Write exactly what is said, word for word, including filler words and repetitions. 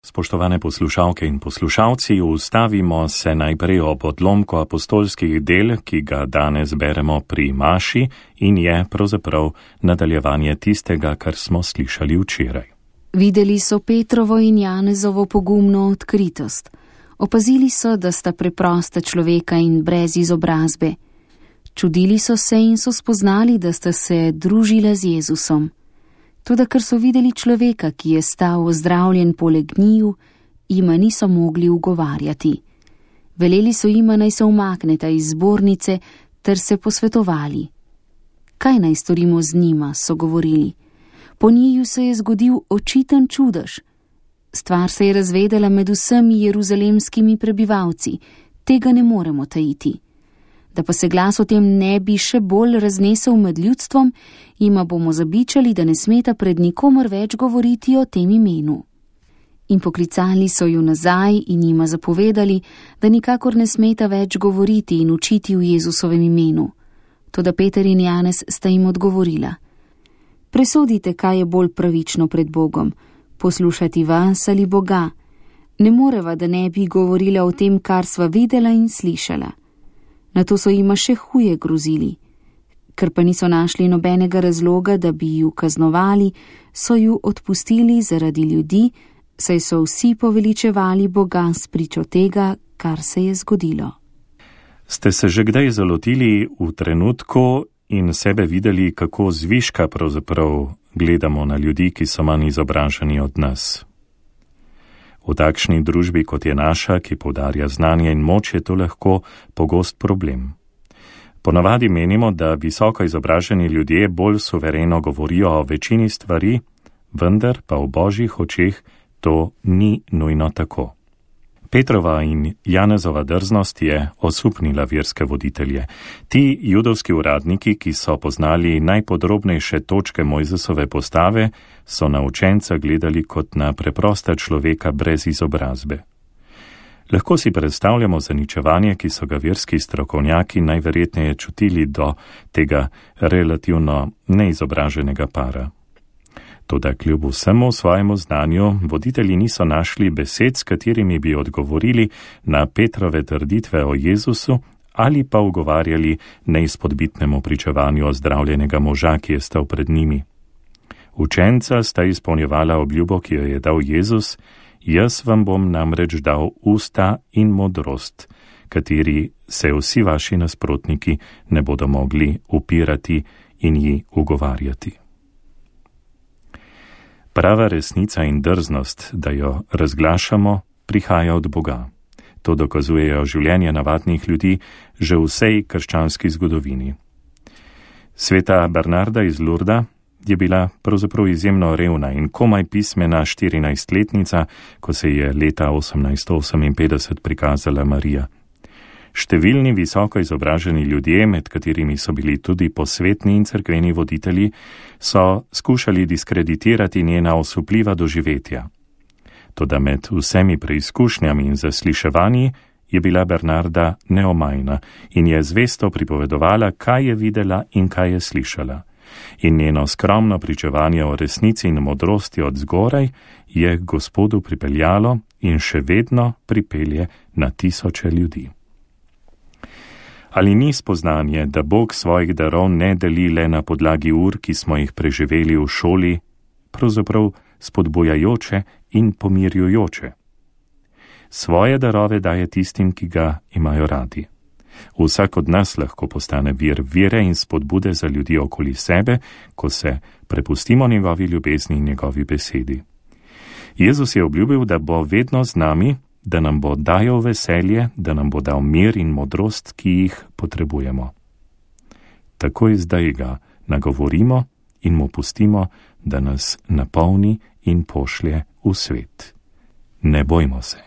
Spoštovane poslušalke in poslušalci, ustavimo se najprej ob odlomku apostolskih del, ki ga danes beremo pri maši in je pravzaprav nadaljevanje tistega, kar smo slišali včeraj. Videli so Petrovo in Janezovo pogumno odkritost. Opazili so, da sta preprosta človeka in brez izobrazbe. Čudili so se in so spoznali, da sta se družila z Jezusom. Toda ker so videli človeka, ki je stal ozdravljen poleg njiju, jima niso mogli ugovarjati. Veleli so jima, naj se umakneta iz zbornice, ter se posvetovali. Kaj naj storimo z njima, so govorili. Po njiju se je zgodil očiten čudež. Stvar se je razvedela med vsemi jeruzalemskimi prebivalci, tega ne moremo tajiti. Da pa se glas o tem ne bi še bolj raznesel med ljudstvom, jima bomo zabičali, da ne smeta pred nikomer več govoriti o tem imenu. In poklicali so ju nazaj in jima zapovedali, da nikakor ne smeta več govoriti in učiti v Jezusovem imenu. Toda Peter in Janez sta jim odgovorila: Presodite, kaj je bolj pravično pred Bogom, poslušati vas ali Boga. Ne moreva, da ne bi govorila o tem, kar sva videla in slišala. Nato so jima še huje grozili. Ker pa niso našli nobenega razloga, da bi ju kaznovali, so ju odpustili zaradi ljudi, saj so vsi poveličevali Boga s pričo tega, kar se je zgodilo. Ste se že kdaj zalotili v trenutku in sebe videli, kako zviška pravzaprav gledamo na ljudi, ki so manj izobraženi od nas? V takšni družbi, kot je naša, ki poudarja znanje in moč, je to lahko pogost problem. Ponavadi menimo, da visoko izobraženi ljudje bolj suvereno govorijo o večini stvari, vendar pa v Božjih očeh to ni nujno tako. Petrova in Janezova drznost je osupnila verske voditelje. Ti judovski uradniki, ki so poznali najpodrobnejše točke Mojzesove postave, so na učenca gledali kot na preprosta človeka brez izobrazbe. Lahko si predstavljamo zaničevanje, ki so ga verski strokovnjaki najverjetneje čutili do tega relativno neizobraženega para. Toda kljub vsemu svojemu znanju, voditelji niso našli besed, s katerimi bi odgovorili na Petrove trditve o Jezusu ali pa ugovarjali neizpodbitnemu pričevanju ozdravljenega moža, ki je stal pred njimi. Učenca sta izpolnjevala obljubo, ki jo je dal Jezus: Jaz vam bom namreč dal usta in modrost, kateri se vsi vaši nasprotniki ne bodo mogli upirati in ji ugovarjati. Prava resnica in drznost, da jo razglašamo, prihaja od Boga. To dokazujejo življenje navadnih ljudi že v vsej krščanski zgodovini. Sveta Bernarda iz Lurda je bila pravzaprav izjemno revna in komaj pismena štirinajstletnica, ko se je leta osemnajststo oseminpetdeset prikazala Marija. Številni visoko izobraženi ljudje, med katerimi so bili tudi posvetni in cerkveni voditelji, so skušali diskreditirati njena osupljiva doživetja. Toda med vsemi preizkušnjami in zasliševanji je bila Bernarda neomajna in je zvesto pripovedovala, kaj je videla in kaj je slišala. In njeno skromno pričevanje o resnici in modrosti od zgoraj je Gospodu pripeljalo in še vedno pripelje na tisoče ljudi. Ali ni spoznanje, da Bog svojih darov ne deli le na podlagi ur, ki smo jih preživeli v šoli, pravzaprav spodbujajoče in pomirjujoče? Svoje darove daje tistim, ki ga imajo radi. Vsak od nas lahko postane vir vere in spodbude za ljudi okoli sebe, ko se prepustimo njegovi ljubezni in njegovi besedi. Jezus je obljubil, da bo vedno z nami, da nam bo dajal veselje, da nam bo dal mir in modrost, ki jih potrebujemo. Takoj zdaj ga nagovorimo in mu pustimo, da nas napolni in pošlje v svet. Ne bojmo se.